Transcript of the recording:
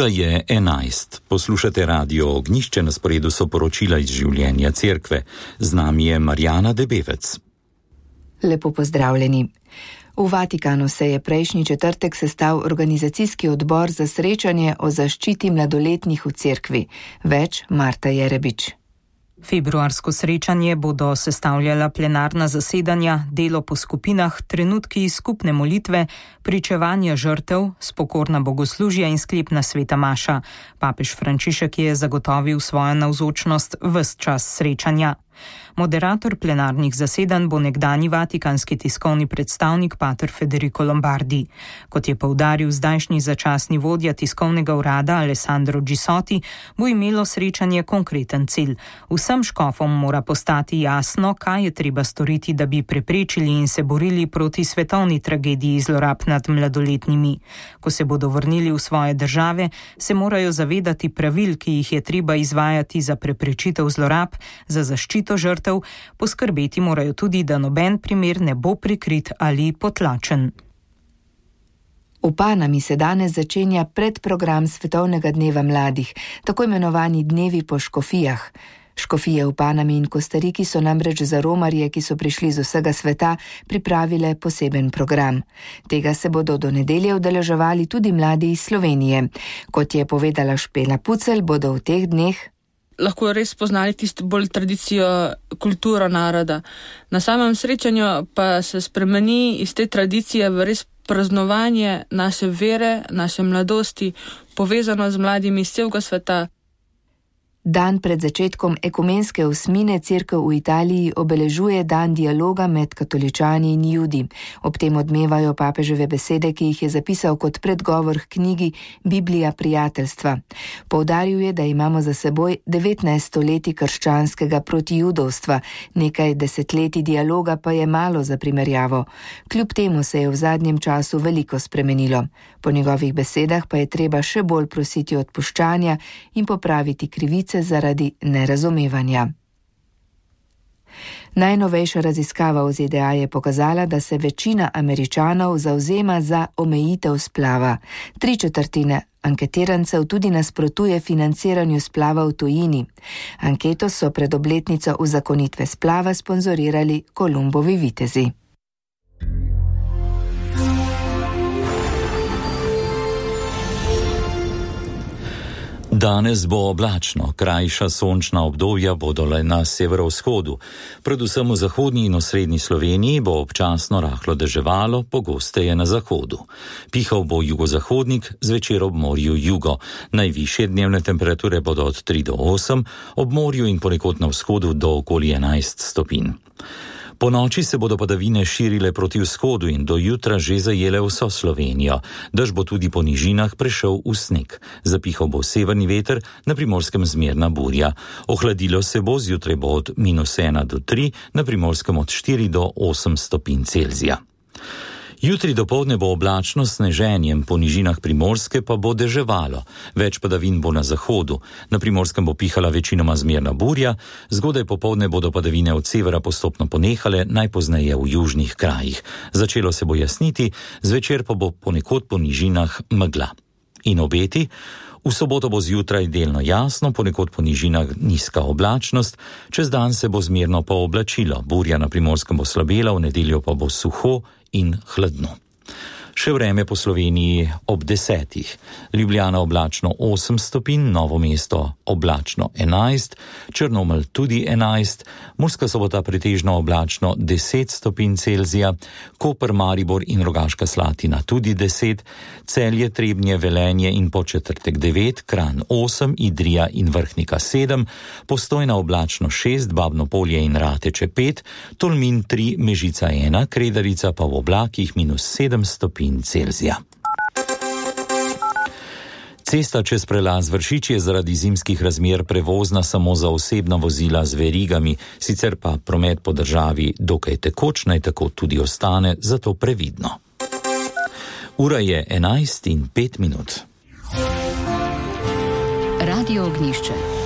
Ura je 11. Poslušate Radio Ognjišče, na sporedu so poročila iz življenja cerkve. Z nami je Marjana Debevec. Lepo pozdravljeni. V Vatikanu se je prejšnji četrtek sestal organizacijski odbor za srečanje o zaščiti mladoletnih v cerkvi. Več Marta Jerebič. Februarsko srečanje bodo sestavljala plenarna zasedanja, delo po skupinah, trenutki skupne molitve, pričevanja žrtev, spokorna bogoslužja in sklepna sveta maša. Papež Frančišek je zagotovil svojo navzočnost ves čas srečanja. Moderator plenarnih zasedanj bo nekdanji vatikanski tiskovni predstavnik pater Federico Lombardi. Kot je poudaril zdajšnji začasni vodja tiskovnega urada Alessandro Gisotti, bo imelo srečanje konkreten cilj. Vsem škofom mora postati jasno, kaj je treba storiti, da bi preprečili in se borili proti svetovni tragediji zlorab nad mladoletnimi. Ko se bodo vrnili v svoje države, se morajo zavedati pravil, ki jih je treba izvajati za preprečitev zlorab, za zaščito žrtev, poskrbeti morajo tudi, da noben primer ne bo prikrit ali potlačen. V Panami se danes začenja predprogram Svetovnega dneva mladih, tako imenovani dnevi po škofijah. Škofije v Panami in Kostariki so namreč za romarje, ki so prišli z vsega sveta, pripravile poseben program. Tega se bodo do nedelje udeleževali tudi mladi iz Slovenije. Kot je povedala Špela Pucelj, bodo v teh dneh lahko res spoznali tisto bolj tradicijo, kulturo naroda. Na samem srečanju pa se spremeni iz te tradicije v res praznovanje naše vere, naše mladosti, povezano z mladimi iz celega sveta. Dan pred začetkom ekumenske osmine cerkev v Italiji obeležuje dan dialoga med katoličani in Judi. Ob tem odmevajo papeževe besede, ki jih je zapisal kot predgovor k knjigi Biblija prijateljstva. Poudaril je, da imamo za seboj 19 stoletij krščanskega protijudovstva, nekaj desetletij dialoga pa je malo za primerjavo. Kljub temu se je v zadnjem času veliko spremenilo. Po njegovih besedah pa je treba še bolj prositi odpuščanja in popraviti krivice zaradi nerazumevanja. Najnovejša raziskava v ZDA je pokazala, da se večina Američanov zavzema za omejitev splava. 3/4 anketirancev tudi nasprotuje financiranju splava v tujini. Anketo so pred obletnico uzakonitve splava sponzorirali Kolumbovi vitezi. Danes bo oblačno, krajša sončna obdobja bodo le na severovzhodu. Predvsem v zahodnji in osrednji Sloveniji bo občasno rahlo deževalo, pogosteje na zahodu. Pihal bo jugozahodnik, zvečer ob morju jugo. Najvišje dnevne temperature bodo od 3 do 8, ob morju in ponekod na vzhodu do okoli 11 stopinj. Po noči se bodo padavine širile proti vzhodu in do jutra že zajele vso Slovenijo. Dež bo tudi po nižinah prešel v sneg. Zapihal bo severni veter, na Primorskem zmerna burja. Ohladilo se bo, zjutraj bo od -1 do 3, na Primorskem od 4 do 8 stopinj Celzija. Jutri dopoldne bo oblačno s sneženjem, po nižinah Primorske pa bo deževalo. Več padavin bo na zahodu. Na Primorskem bo pihala večinoma zmerna burja, zgodaj popoldne bodo padavine od severa postopno ponehale, najpozneje v južnih krajih. Začelo se bo jasniti, zvečer pa bo ponekod po nižinah megla. In obeti? V soboto bo zjutraj delno jasno, ponekod po nižinah nizka oblačnost, čez dan se bo zmerno pooblačilo, burja na Primorskem bo slabela, v nedeljo pa bo suho in hladno. Še vreme po Sloveniji ob 10. Ljubljana oblačno 8 stopinj, Novo mesto oblačno 11, Črnomelj tudi 11, Murska Sobota pretežno oblačno 10 stopinj Celzija, Koper, Maribor in Rogaška Slatina tudi 10, Celje, Trebnje, Velenje in Podčetrtek 9, Kranj 8, Idrija in Vrhnika 7, Postojna oblačno 6, Babno Polje in Rateče 5, Tolmin 3, Mežica 1, Kredarica pa v oblakih -7 stopinj Celzija. Cesta čez prelaz Vršič je zaradi zimskih razmer prevozna samo za osebna vozila z verigami, sicer pa promet po državi dokaj tekoč, naj tako tudi ostane, zato previdno. Ura je 11:05. Radio Ognjišče.